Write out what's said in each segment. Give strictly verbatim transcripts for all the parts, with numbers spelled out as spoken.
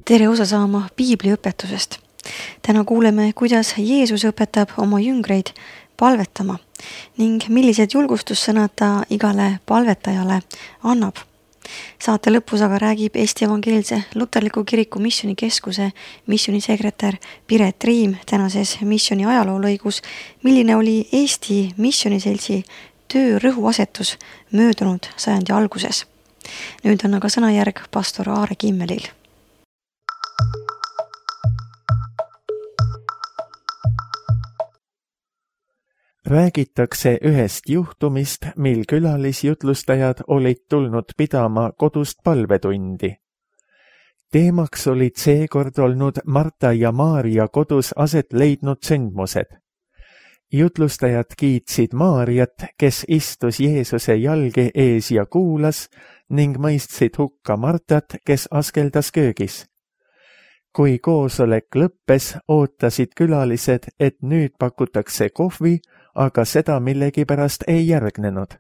tere osa saama piibliõpetusest. Täna kuuleme, kuidas Jeesus õpetab oma jüngreid palvetama ning millised julgustussõnad ta igale palvetajale annab. Saate lõpus aga räägib Eesti Evangeelse Luterliku Kiriku Missionikeskuse missionisekretär Piret Riim tänases missioni ajaloolõigus, milline oli Eesti missioniseltsi töö rõhuasetus möödunud sajandi alguses. Nüüd on aga sõnajärg pastor Aare Kimmelil. Räägitakse ühest juhtumist, mil külalisjutlustajad olid tulnud pidama kodust palvetundi. Teemaks olid seekord olnud Marta ja Maarja kodus aset leidnud sündmused. Jutlustajad kiitsid Maarjat, kes istus Jeesuse jalge ees ja kuulas, ning mõistsid hukka Martat, kes askeldas köögis. Kui koosolek lõppes, ootasid külalised, et nüüd pakutakse kohvi, aga seda millegipärast ei järgnenud.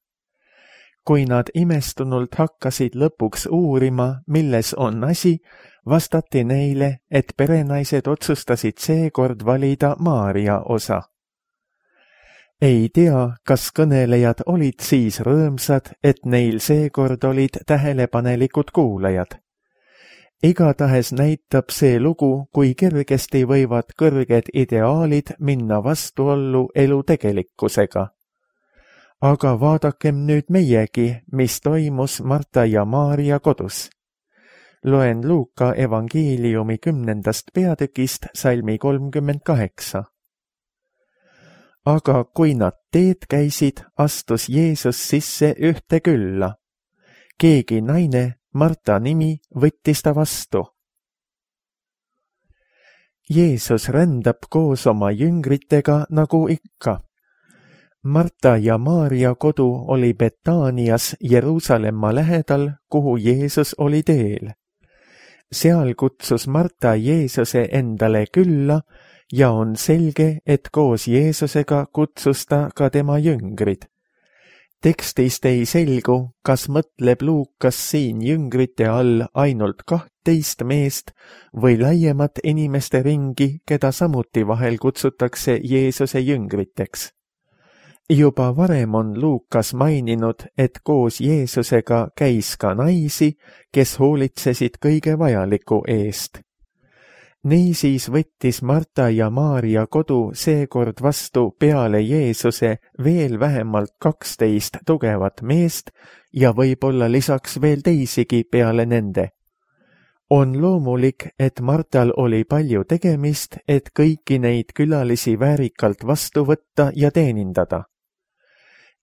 Kui nad imestunult hakkasid lõpuks uurima, milles on asi, vastati neile, et perenaised otsustasid seekord valida Maarja osa. Ei tea, kas kõnelejad olid siis rõõmsad, et neil seekord olid tähelepanelikud kuulajad. Igatahes näitab see lugu, kui kergesti võivad kõrged ideaalid minna vastuollu elu tegelikkusega. Aga vaadakem nüüd meiegi, mis toimus Marta ja Maarja kodus. Loen Luuka evangeeliumi kümnendast peatükist salmi kolmkümmend kaheksa. Aga kui nad teed käisid, astus Jeesus sisse ühte külla. Keegi naine, Marta nimi, võttis ta vastu. Jeesus rändab koos oma jüngritega nagu ikka. Marta ja Maarja kodu oli Betaanias Jeruusalemma lähedal, kuhu Jeesus oli teel. Seal kutsus Marta Jeesuse endale külla ja on selge, et koos Jeesusega kutsus ta ka tema jüngrid. Tekstist ei selgu, kas mõtleb Luukas siin jüngrite all ainult kahtteist meest või laiemat inimeste ringi, keda samuti vahel kutsutakse Jeesuse jüngriteks. Juba varem on Luukas maininud, et koos Jeesusega käis ka naisi, kes hoolitsesid kõige vajaliku eest. Niisiis võttis Marta ja Maarja kodu seekord vastu peale Jeesuse veel vähemalt kaksteist tugevat meest ja võib-olla lisaks veel teisigi peale nende. On loomulik, et Martal oli palju tegemist, et kõiki neid külalisi väärikalt vastu võtta ja teenindada.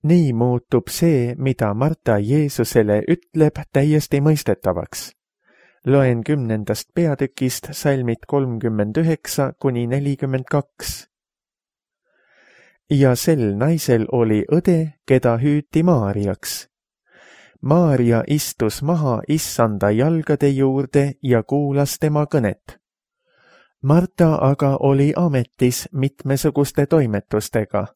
Nii muutub see, mida Marta Jeesusele ütleb, täiesti mõistetavaks. Loen kümnendast peatükist salmid kolmkümmend üheksa kuni nelikümmend kaks. Ja sel naisel oli õde, keda hüüti Maarjaks. Maarja istus maha issanda jalgade juurde ja kuulas tema kõnet. Marta aga oli ametis mitmesuguste toimetustega.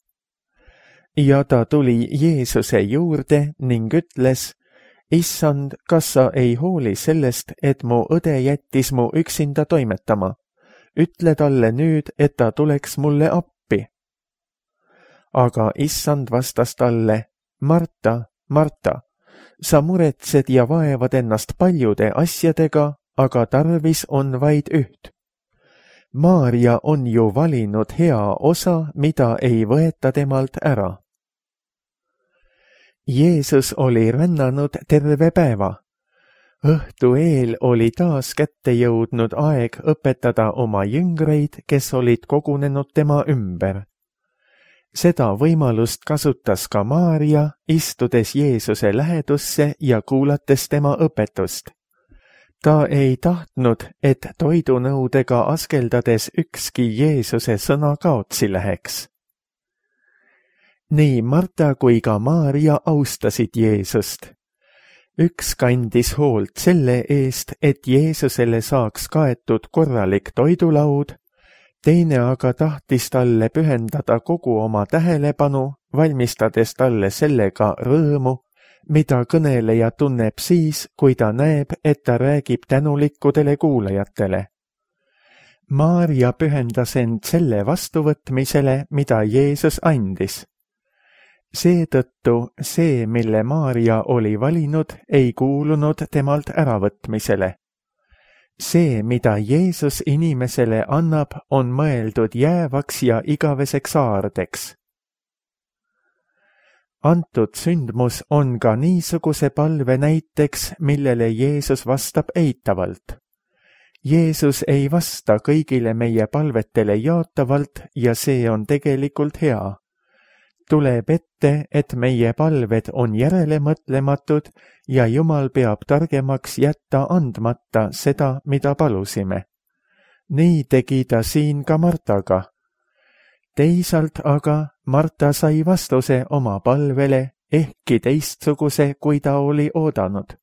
Ja ta tuli Jeesuse juurde ning ütles, Issand, kas sa ei hooli sellest, et mu õde jättis mu üksinda toimetama? Ütle talle nüüd, et ta tuleks mulle appi. Aga issand vastas talle, Marta, Marta, sa muretsed ja vaevad ennast paljude asjadega, aga tarvis on vaid üht. Maarja on ju valinud hea osa, mida ei võeta temalt ära. Jeesus oli rännanud terve päeva. Õhtu eel oli taas kätte jõudnud aeg õpetada oma jüngreid, kes olid kogunenud tema ümber. Seda võimalust kasutas ka Maarja, istudes Jeesuse lähedusse ja kuulates tema õpetust. Ta ei tahtnud, et toidunõudega askeldades ükski Jeesuse sõna kaotsi läheks. Nii Marta kui ka Maarja austasid Jeesust. Üks kandis hoolt selle eest, et Jeesusele saaks kaetud korralik toidulaud, teine aga tahtis talle pühendada kogu oma tähelepanu, valmistades talle sellega rõõmu, mida kõneleja tunneb siis, kui ta näeb, et ta räägib tänulikudele kuulajatele. Maarja pühendas end selle vastuvõtmisele, mida Jeesus andis. Seetõttu see, mille Maarja oli valinud, ei kuulunud temalt äravõtmisele. See, mida Jeesus inimesele annab, on mõeldud jäävaks ja igaveseks aardeks. Antud sündmus on ka niisuguse palve näiteks, millele Jeesus vastab eitavalt. Jeesus ei vasta kõigile meie palvetele jaatavalt ja see on tegelikult hea. Tuleb ette, et meie palved on järelemõtlematud ja Jumal peab targemaks jätta andmata seda, mida palusime. Nii tegi ta siin ka Martaga. Teisalt aga Marta sai vastuse oma palvele, ehkki teistsuguse, kui ta oli oodanud.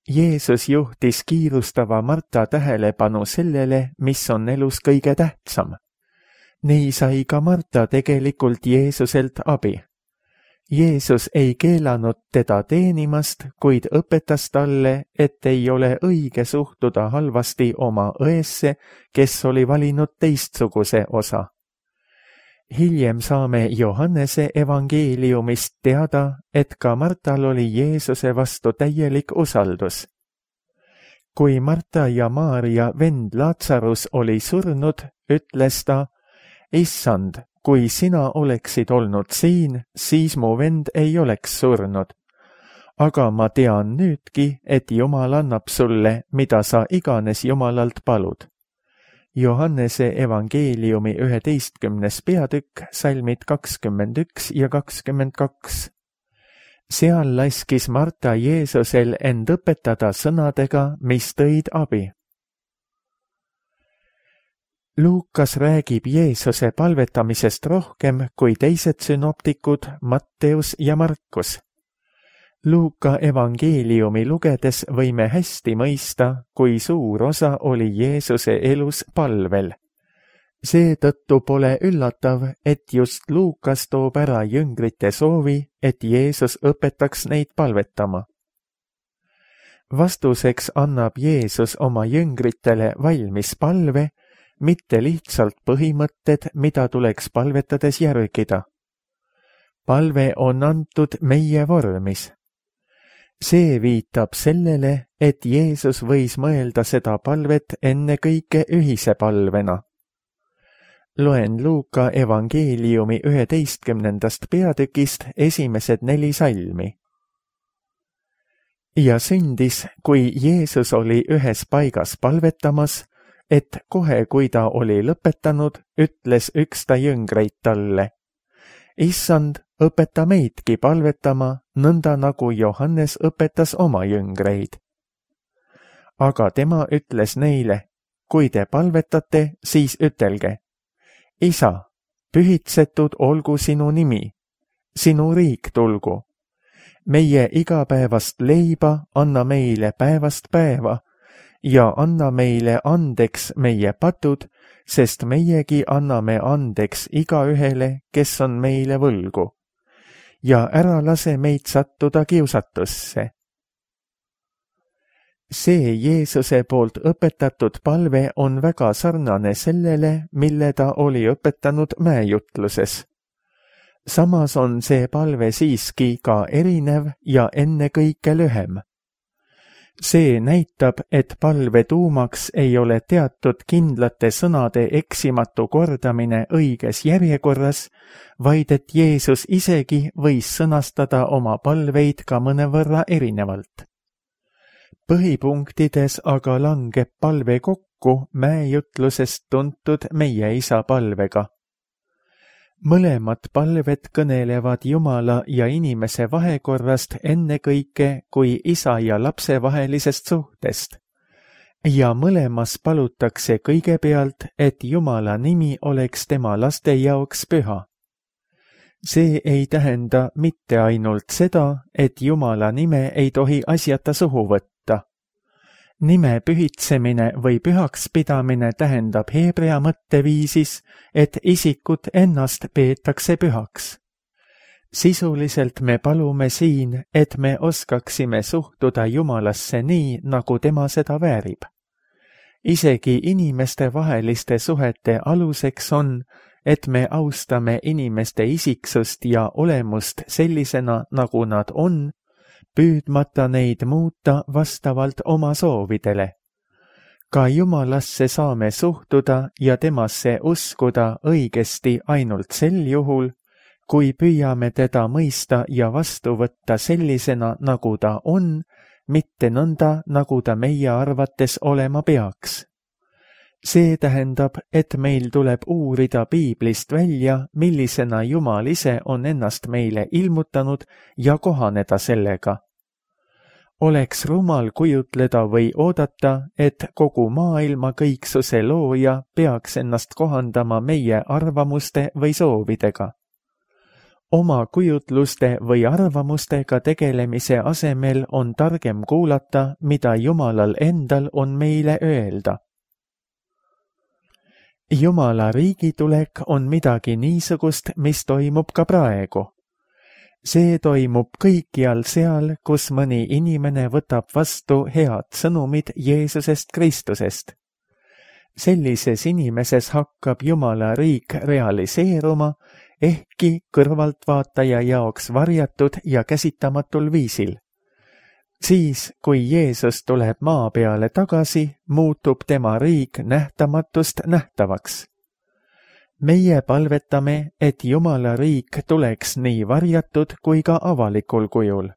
Jeesus juhtis kiirustava Marta tähelepanu sellele, mis on elus kõige tähtsam. Nii sai ka Marta tegelikult Jeesuselt abi. Jeesus ei keelanud teda teenimast, kuid õpetas talle, et ei ole õige suhtuda halvasti oma õesse, kes oli valinud teistsuguse osa. Hiljem saame Johannese evangeeliumist teada, et ka Martal oli Jeesuse vastu täielik usaldus. Kui Marta ja Maarja vend Laatsarus oli surnud, ütles ta, Issand, kui sina oleksid olnud siin, siis mu vend ei oleks surnud. Aga ma tean nüüdki, et Jumal annab sulle, mida sa iganes Jumalalt palud. Johannese evangeeliumi üheteistkümnes peatükk, salmid kakskümmend üks ja kakskümmend kaks. Seal laskis Marta Jeesusel end õpetada sõnadega, mis tõid abi. Luukas räägib Jeesuse palvetamisest rohkem kui teised sünoptikud Matteus ja Markus. Luuka evangeeliumi lugedes võime hästi mõista, kui suur osa oli Jeesuse elus palvel. Seetõttu pole üllatav, et just Luukas toob ära jüngrite soovi, et Jeesus õpetaks neid palvetama. Vastuseks annab Jeesus oma jüngritele valmis palve, mitte lihtsalt põhimõtted, mida tuleks palvetades järgida. Palve on antud meie vormis. See viitab sellele, et Jeesus võis mõelda seda palvet ennekõike ühise palvena. Loen Luuka evangeeliumi üheteistkümnendast peatükist esimesed neli salmi. Ja sündis, kui Jeesus oli ühes paigas palvetamas, et kohe, kui ta oli lõpetanud, ütles üks ta jüngreid talle. Issand, õpeta meidki palvetama, nõnda nagu Johannes õpetas oma jüngreid. Aga tema ütles neile, kui te palvetate, siis ütelge. Isa, pühitsetud olgu sinu nimi, sinu riik tulgu. Meie igapäevast leiba anna meile päevast päeva ja anna meile andeks meie patud, sest meiegi anname andeks igaühele, kes on meile võlgu. Ja ära lase meid sattuda kiusatusse. See Jeesuse poolt õpetatud palve on väga sarnane sellele, mille ta oli õpetanud mäejutluses. Samas on see palve siiski ka erinev ja ennekõike lühem. See näitab, et palve tuumaks ei ole teatud kindlate sõnade eksimatu kordamine õiges järjekorras, vaid et Jeesus isegi võis sõnastada oma palveid ka mõnevõrra erinevalt. Põhipunktides aga langeb palve kokku mäejutlusest tuntud meie isa palvega. Mõlemad palved kõnelevad Jumala ja inimese vahekorrast ennekõike kui isa ja lapse vahelisest suhtest. Ja mõlemas palutakse kõigepealt, et Jumala nimi oleks tema laste jaoks püha. See ei tähenda mitte ainult seda, et Jumala nime ei tohi asjata suhu võtta. Nime pühitsemine või pühaks pidamine tähendab heebrea mõtteviisis, et isikut ennast peetakse pühaks. Sisuliselt me palume siin, et me oskaksime suhtuda Jumalasse nii, nagu tema seda väärib. Isegi inimeste vaheliste suhete aluseks on, et me austame inimeste isiksust ja olemust sellisena, nagu nad on, püüdmata neid muuta vastavalt oma soovidele. Ka Jumalasse saame suhtuda ja temasse uskuda õigesti ainult sel juhul, kui püüame teda mõista ja vastu võtta sellisena, nagu ta on, mitte nõnda, nagu ta meie arvates olema peaks. See tähendab, et meil tuleb uurida piiblist välja, millisena Jumal ise on ennast meile ilmutanud ja kohaneda sellega. Oleks rumal kujutleda või oodata, et kogu maailma kõiksuse looja peaks ennast kohandama meie arvamuste või soovidega. Oma kujutluste või arvamustega tegelemise asemel on targem kuulata, mida Jumalal endal on meile öelda. Jumala riigitulek on midagi niisugust, mis toimub ka praegu. See toimub kõikjal seal, kus mõni inimene võtab vastu head sõnumid Jeesusest Kristusest. Sellises inimeses hakkab Jumala riik realiseeruma, ehkki kõrvaltvaataja jaoks varjatud ja käsitamatul viisil. Siis, kui Jeesus tuleb maa peale tagasi, muutub tema riik nähtamatust nähtavaks. Meie palvetame, et Jumala riik tuleks nii varjatud kui ka avalikul kujul.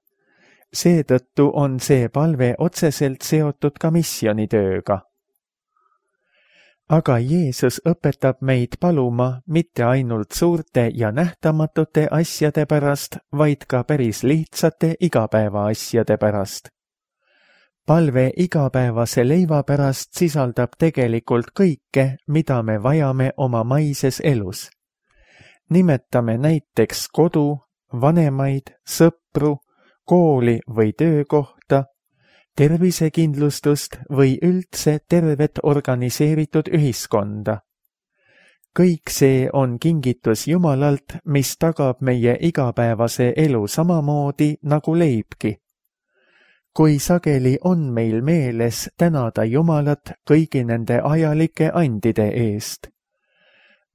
Seetõttu on see palve otseselt seotud ka missionitööga. Aga Jeesus õpetab meid paluma mitte ainult suurte ja nähtamatute asjade pärast, vaid ka päris lihtsate igapäeva asjade pärast. Palve igapäevase leiva pärast sisaldab tegelikult kõike, mida me vajame oma maises elus. Nimetame näiteks kodu, vanemaid, sõpru, kooli või töökohta, tervisekindlustust või üldse tervet organiseeritud ühiskonda. Kõik see on kingitus Jumalalt, mis tagab meie igapäevase elu samamoodi nagu leibki. Kui sageli on meil meeles tänada Jumalat kõigi nende ajalike andide eest.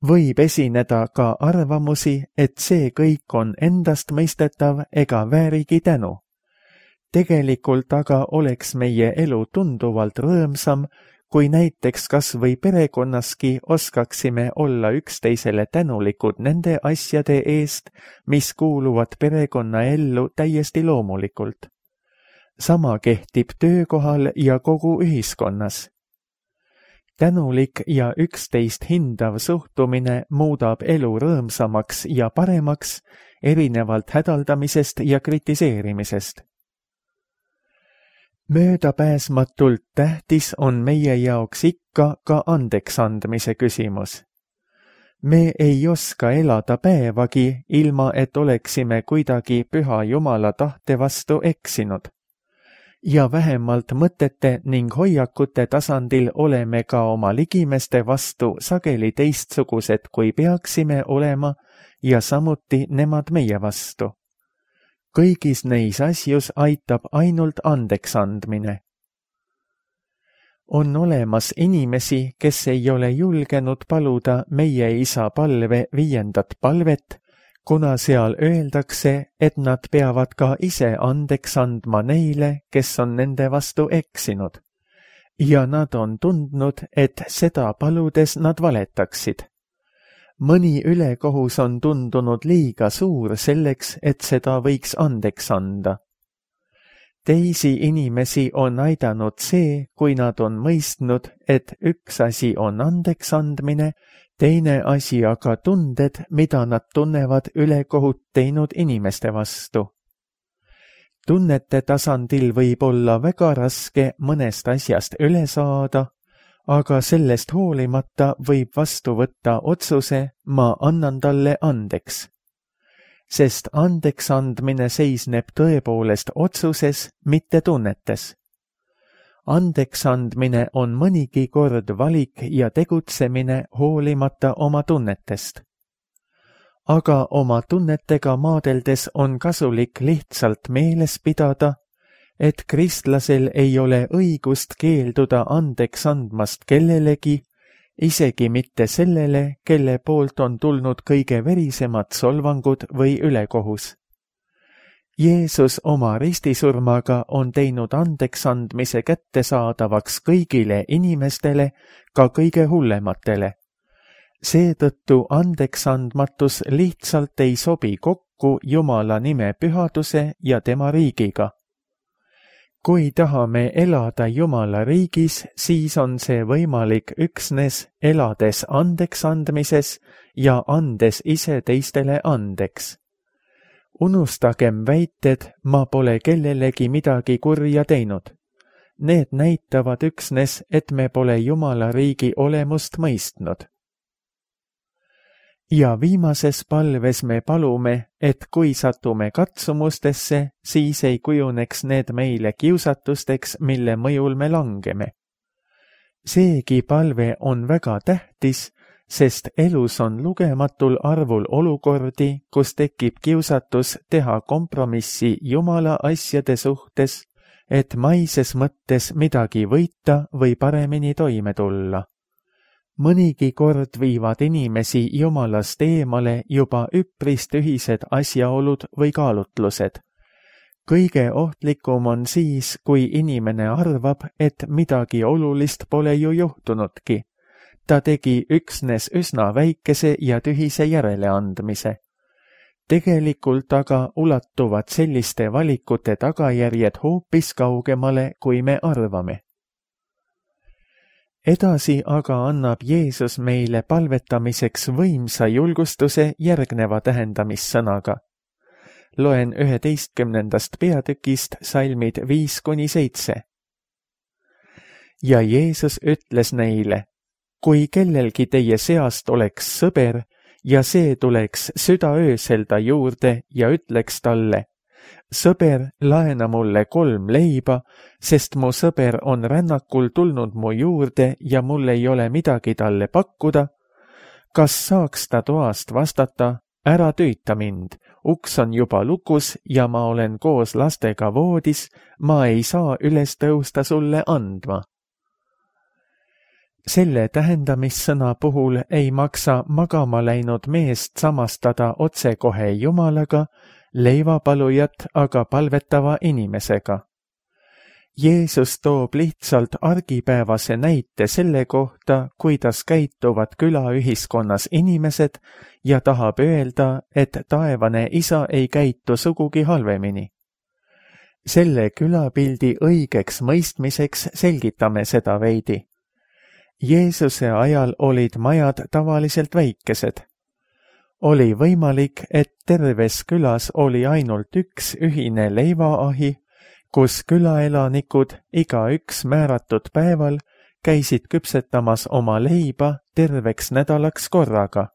Võib esineda ka arvamusi, et see kõik on endastmõistetav ega väärigi tänu. Tegelikult aga oleks meie elu tunduvalt rõõmsam, kui näiteks kas või perekonnaski oskaksime olla üksteisele tänulikud nende asjade eest, mis kuuluvad perekonna ellu täiesti loomulikult. Sama kehtib töökohal ja kogu ühiskonnas. Tänulik ja üksteist hindav suhtumine muudab elu rõõmsamaks ja paremaks, erinevalt hädaldamisest ja kritiseerimisest. Möödapääsmatult tähtis on meie jaoks ikka ka andeksandmise küsimus. Me ei oska elada päevagi, ilma et oleksime kuidagi püha Jumala tahte vastu eksinud. Ja vähemalt mõtete ning hoiakute tasandil oleme ka oma ligimeste vastu sageli teistsugused, kui peaksime olema, ja samuti nemad meie vastu. Kõigis neis asjus aitab ainult andeksandmine. On olemas inimesi, kes ei ole julgenud paluda meie isa palve viiendat palvet, kuna seal öeldakse, et nad peavad ka ise andeks andma neile, kes on nende vastu eksinud. Ja nad on tundnud, et seda paludes nad valetaksid. Mõni ülekohus on tundunud liiga suur selleks, et seda võiks andeks anda. Teisi inimesi on aidanud see, kui nad on mõistnud, et üks asi on andeks andmine, teine asi aga tunded, mida nad tunnevad ülekohut teinud inimeste vastu. Tunnete tasandil võib olla väga raske mõnest asjast üle saada, aga sellest hoolimata võib vastu võtta otsuse, ma annan talle andeks. Sest andeks andmine seisneb tõepoolest otsuses, mitte tunnetes. Andeks andmine on mõnigi kord valik ja tegutsemine hoolimata oma tunnetest. aga oma tunnetega maadeldes on kasulik lihtsalt meeles pidada, et kristlasel ei ole õigust keelduda andeks andmast kellelegi, isegi mitte sellele, kelle poolt on tulnud kõige verisemad solvangud või ülekohus. Jeesus oma ristisurmaga on teinud andeks andmise kättesaadavaks kõigile inimestele, ka kõige hullematele. Seetõttu andeksandmatus lihtsalt ei sobi kokku Jumala nime pühaduse ja tema riigiga. Kui tahame elada Jumala riigis, siis on see võimalik üksnes elades andeks andmises ja andes ise teistele andeks. Unustagem väited, ma pole kellelegi midagi kurja teinud. Need näitavad üksnes, et me pole Jumala riigi olemust mõistnud. Ja viimases palves me palume, et kui satume katsumustesse, siis ei kujuneks need meile kiusatusteks, mille mõjul me langeme. Seegi palve on väga tähtis, sest elus on lugematul arvul olukordi, kus tekib kiusatus teha kompromissi Jumala asjade suhtes, et maises mõttes midagi võita või paremini toime tulla. Mõnigi kord viivad inimesi Jumalast eemale juba üpris tühised asjaolud või kaalutlused. Kõige ohtlikum on siis, kui inimene arvab, et midagi olulist pole ju juhtunudki. Ta tegi üksnes üsna väikese ja tühise järeleandmise. Tegelikult aga ulatuvad selliste valikute tagajärjed hoopis kaugemale, kui me arvame. Edasi aga annab Jeesus meile palvetamiseks võimsa julgustuse järgneva tähendamissõnaga. Loen üheteistkümnendast peatükist salmid viis kuni seitse. Ja Jeesus ütles neile, kui kellelgi teie seast oleks sõber ja see tuleks südaöösel ta juurde ja ütleks talle, sõber, laena mulle kolm leiba, sest mu sõber on rännakul tulnud mu juurde ja mul ei ole midagi talle pakkuda. Kas saaks ta toast vastata, ära tüüta mind, uks on juba lukus ja ma olen koos lastega voodis, ma ei saa üles tõusta sulle andma. Selle tähendamissõna puhul ei maksa magama läinud meest samastada otsekohe Jumalaga, leivapalujat aga palvetava inimesega. Jeesus toob lihtsalt argipäevase näite selle kohta, kuidas käituvad külaühiskonnas inimesed ja tahab öelda, et taevane isa ei käitu sugugi halvemini. Selle külapildi õigeks mõistmiseks selgitame seda veidi. Jeesuse ajal olid majad tavaliselt väikesed. Oli võimalik, et terves külas oli ainult üks ühine leivaahi, kus külaelanikud igaüks määratud päeval käisid küpsetamas oma leiba terveks nädalaks korraga.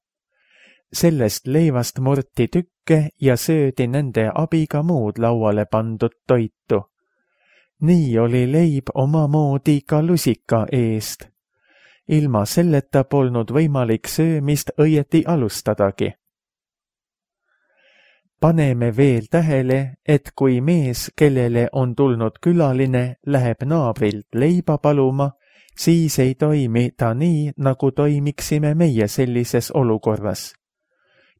Sellest leivast murti tükke ja söödi nende abiga muud lauale pandud toitu. Nii oli leib omamoodi ka lusika eest. Ilma selleta polnud võimalik söömist õieti alustadagi. Paneme veel tähele, et kui mees, kellele on tulnud külaline, läheb naabrilt leiba paluma, siis ei toimi ta nii, nagu toimiksime meie sellises olukorras.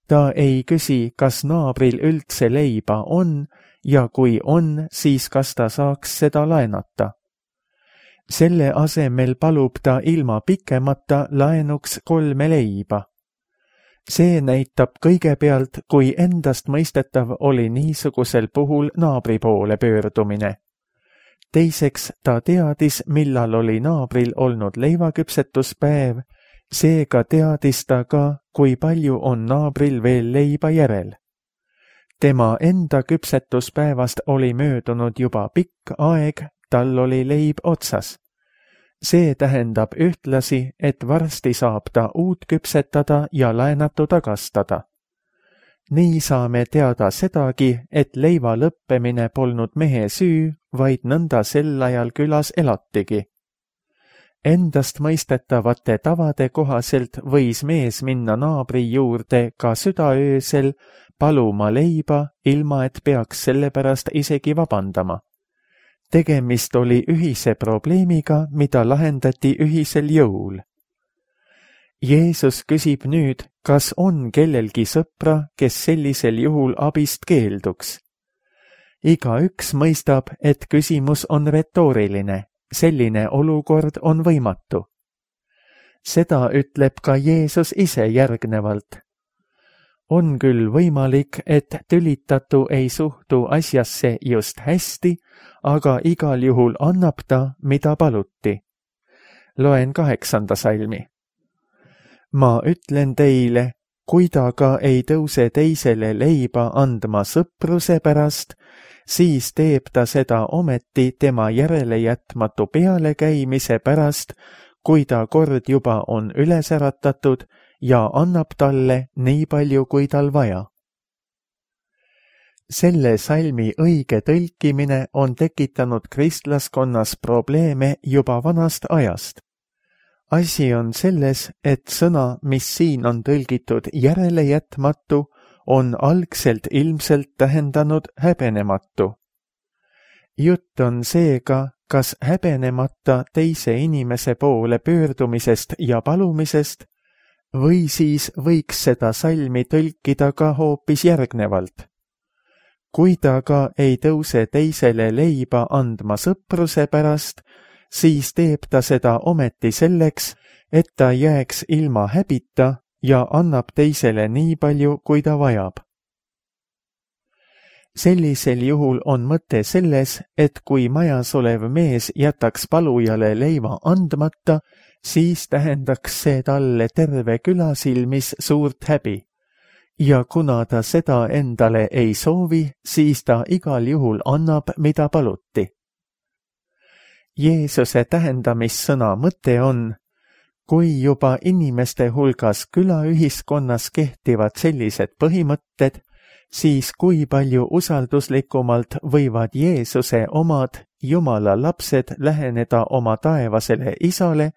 Ta ei küsi, kas naabril üldse leiba on ja kui on, siis kas ta saaks seda laenata. Selle asemel palub ta ilma pikemata laenuks kolme leiba. See näitab kõigepealt, kui endast mõistetav oli niisugusel puhul naabri poole pöördumine. Teiseks ta teadis, millal oli naabril olnud leivaküpsetuspäev, seega teadis ta ka, kui palju on naabril veel leiba järel. Tema enda küpsetuspäevast oli möödunud juba pikk aeg, tal oli leib otsas. See tähendab ühtlasi, et varsti saab ta uut küpsetada ja laenatu tagastada. Nii saame teada sedagi, et leiva lõppemine polnud mehe süü, vaid nõnda sel ajal külas elatigi. endastmõistetavate tavade kohaselt võis mees minna naabri juurde ka südaöösel paluma leiba, ilma et peaks selle pärast isegi vabandama. Tegemist oli ühise probleemiga, mida lahendati ühisel jõul. Jeesus küsib nüüd, kas on kellelgi sõpra, kes sellisel juhul abist keelduks. Igaüks mõistab, et küsimus on retooriline. Selline olukord on võimatu. Seda ütleb ka Jeesus ise järgnevalt. On küll võimalik, et tülitatu ei suhtu asjasse just hästi, aga igal juhul annab ta, mida paluti. Loen kaheksanda salmi. Ma ütlen teile, kui ta ka ei tõuse teisele leiba andma sõpruse pärast, siis teeb ta seda ometi tema järelejätmatu pealekäimise pärast, kui ta kord juba on üles äratatud ja annab talle nii palju, kui tal vaja. Selle salmi õige tõlkimine on tekitanud kristlaskonnas probleeme juba vanast ajast. Asi on selles, et sõna, mis siin on tõlgitud järelejätmatu, on algselt ilmselt tähendanud häbenematu. Jutt on seega, kas häbenemata teise inimese poole pöördumisest ja palumisest, või siis võiks seda salmi tõlkida ka hoopis järgnevalt. Kui ta ka ei tõuse teisele leiba andma sõpruse pärast, siis teeb ta seda ometi selleks, et ta jääks ilma häbita ja annab teisele nii palju, kui ta vajab. Sellisel juhul on mõte selles, et kui majas olev mees jätaks palujale leiva andmata, siis tähendaks see talle terve küla silmis suurt häbi. Ja kuna ta seda endale ei soovi, siis ta igal juhul annab, mida paluti. Jeesuse tähendamissõna mõte on, kui juba inimeste hulgas külaühiskonnas kehtivad sellised põhimõtted, siis kui palju usalduslikumalt võivad Jeesuse omad Jumala lapsed läheneda oma taevasele isale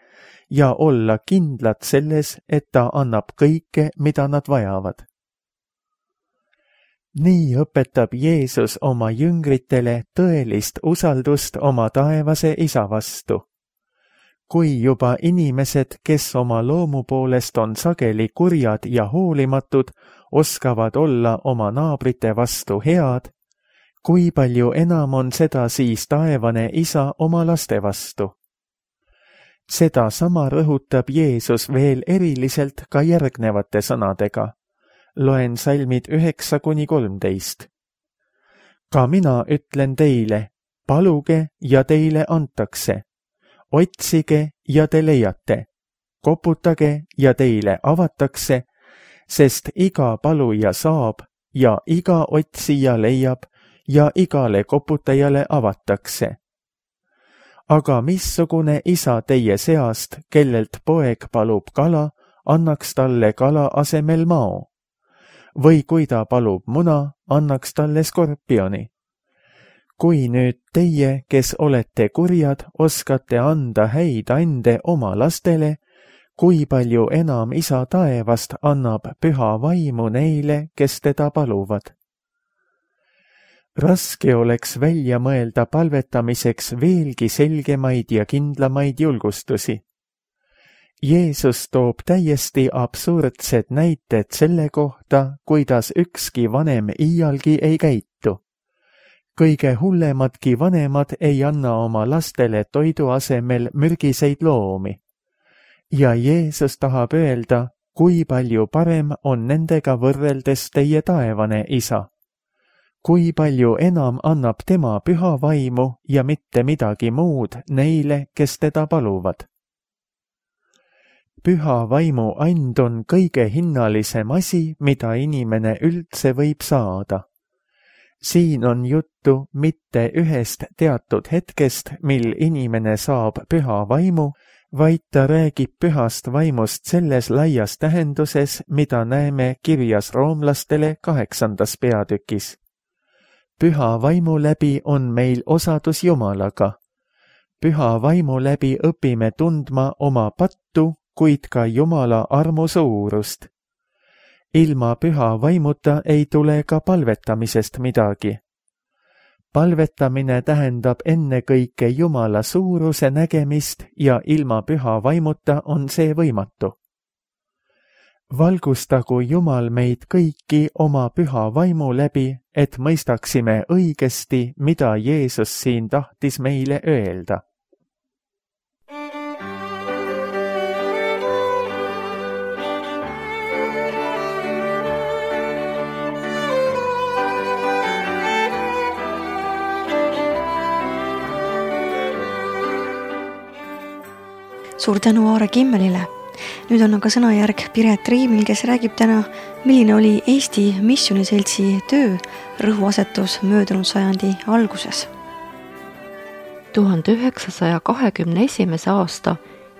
ja olla kindlad selles, et ta annab kõike, mida nad vajavad. Nii õpetab Jeesus oma jüngritele tõelist usaldust oma taevase isa vastu. Kui juba inimesed, kes oma loomu poolest on sageli kurjad ja hoolimatud, oskavad olla oma naabrite vastu head, kui palju enam on seda siis taevane isa oma laste vastu. Seda sama rõhutab Jeesus veel eriliselt ka järgnevate sõnadega. Loen salmid üheksa kuni kolmteist. Ka mina ütlen teile, paluge ja teile antakse. Otsige ja te leiate. Koputage ja teile avatakse, sest iga paluja saab ja iga otsija leiab ja igale koputajale avatakse. Aga missugune isa teie seast, kellelt poeg palub kala, annaks talle kala asemel mao? Või kui ta palub muna, annaks talle skorpioni. Kui nüüd teie, kes olete kurjad, oskate anda häid ande oma lastele, kui palju enam isa taevast annab püha vaimu neile, kes teda paluvad. Raske oleks välja mõelda palvetamiseks veelgi selgemaid ja kindlamaid julgustusi. Jeesus toob täiesti absurdsed näited selle kohta, kuidas ükski vanem iialgi ei käitu. Kõige hullemadki vanemad ei anna oma lastele toidu asemel mürgiseid loomi. Ja Jeesus tahab öelda, kui palju parem on nendega võrreldes teie taevane isa. Kui palju enam annab tema püha vaimu ja mitte midagi muud neile, kes teda paluvad. Püha vaimu and on kõige hinnalisem asi, mida inimene üldse võib saada. Siin on juttu mitte ühest teatud hetkest, mil inimene saab püha vaimu, vaid ta räägib pühast vaimust selles laias tähenduses, mida näeme kirjas roomlastele kaheksandas peatükis. Püha vaimu läbi on meil osadus Jumalaga. püha vaimu läbi õpime tundma oma pattu, kuid ka Jumala armu suurust. Ilma püha vaimuta ei tule ka palvetamisest midagi. Palvetamine tähendab ennekõike Jumala suuruse nägemist ja ilma püha vaimuta on see võimatu. Valgustagu Jumal meid kõiki oma püha vaimu läbi, et mõistaksime õigesti, mida Jeesus siin tahtis meile öelda. Suur tänu Aare Kimmelile. Nüüd on aga sõnajärg Piret Riimil, kes räägib täna, milline oli Eesti Missioniseltsi töö rõhuasetus möödunud sajandi alguses. tuhande üheksasaja kahekümne esimese aasta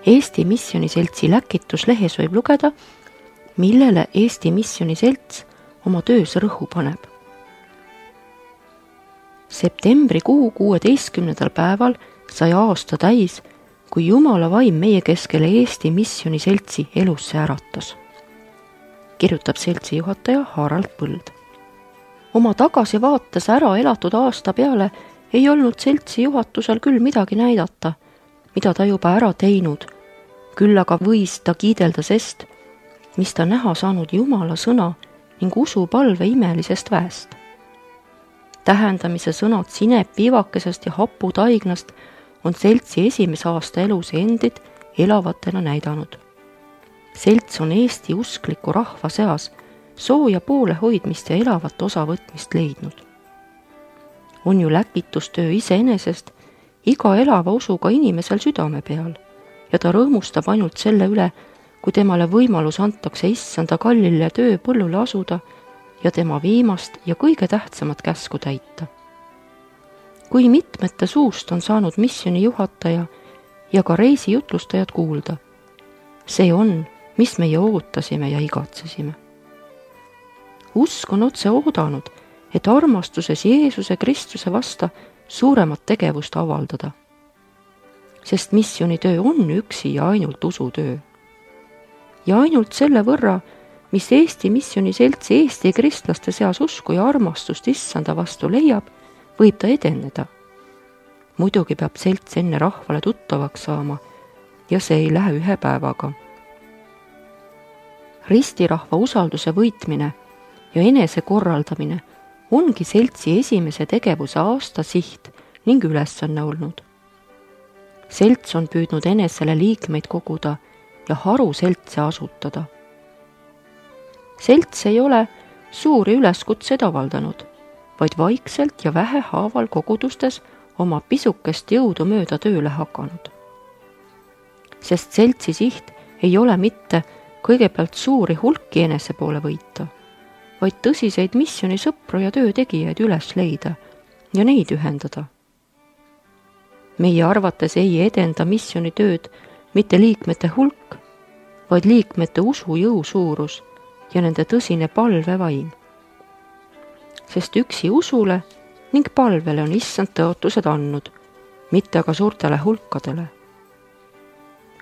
Eesti Missioniseltsi läkituslehes võib lugeda, millele Eesti Missioniselts oma töös rõhu paneb. Septembrikuu kuueteistkümnendal päeval sai aasta täis, kui Jumala vaim meie keskele Eesti Missioniseltsi elusse äratas, kirjutab seltsi juhataja Harald Põld. Oma tagasivaates ära elatud aasta peale ei olnud seltsi juhatusel küll midagi näidata, mida ta juba ära teinud, küll aga võis ta kiidelda sest, mis ta näha saanud Jumala sõna ning usupalve imelisest väest. Tähendamise sõnad sinepiivakesest ja haputaignast on seltsi esimese aasta elus endid elavatena näidanud. Selts on Eesti uskliku rahva seas sooja poole hoidmist ja elavat osavõtmist leidnud. On ju läkitustöö iseenesest iga elava usuga inimesel südame peal ja ta rõõmustab ainult selle üle, kui temale võimalus antakse issanda kallile tööpõllule asuda ja tema viimast ja kõige tähtsamat käsku täita. Kui mitmete suust on saanud missiooni juhataja ja ka reisijutlustajad kuulda. See on, mis meie ootasime ja igatsesime. Usk on otse oodanud, et armastuses Jeesuse Kristuse vasta suuremat tegevust avaldada. Sest missioonitöö on üksi ja ainult usutöö. Ja ainult selle võrra, mis Eesti Missioniseltsi Eesti kristlaste seas usku ja armastust issanda vastu leiab, võib ta edeneda. Muidugi peab selts enne rahvale tuttavaks saama ja see ei lähe ühe päevaga. Ristirahva usalduse võitmine ja enese korraldamine ongi seltsi esimese tegevuse aasta siht ning ülesanne olnud. Selts on püüdnud enesele liikmeid koguda ja haru seltse asutada. Selts ei ole suuri üleskutseid avaldanud, vaid vaikselt ja vähehaaval kogudustes oma pisukest jõudu mööda tööle hakanud. Sest seltsi siht ei ole mitte kõigepealt suuri hulki enese poole võita, vaid tõsiseid missioonisõpru ja töötegijaid üles leida ja neid ühendada. Meie arvates ei edenda missioonitööd mitte liikmete hulk, vaid liikmete usu jõu suurus ja nende tõsine palvevaim. Sest üksi usule ning palvele on issand tõotused andnud, mitte aga suurtele hulkadele.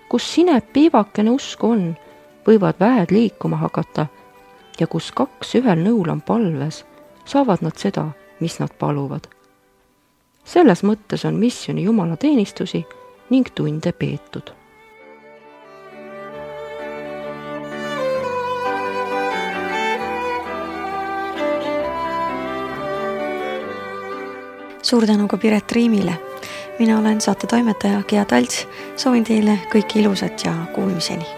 Kus sinep piivakene usku on, võivad väed liikuma hakata ja kus kaks ühel nõul on palves, saavad nad seda, mis nad paluvad. Selles mõttes on missiooni Jumala teenistusi ning tunde peetud. Suur tänu ka Piret Riimile. Mina olen saate toimetaja Gea Talts. Soovin teile kõike ilusat ja kuulmiseni.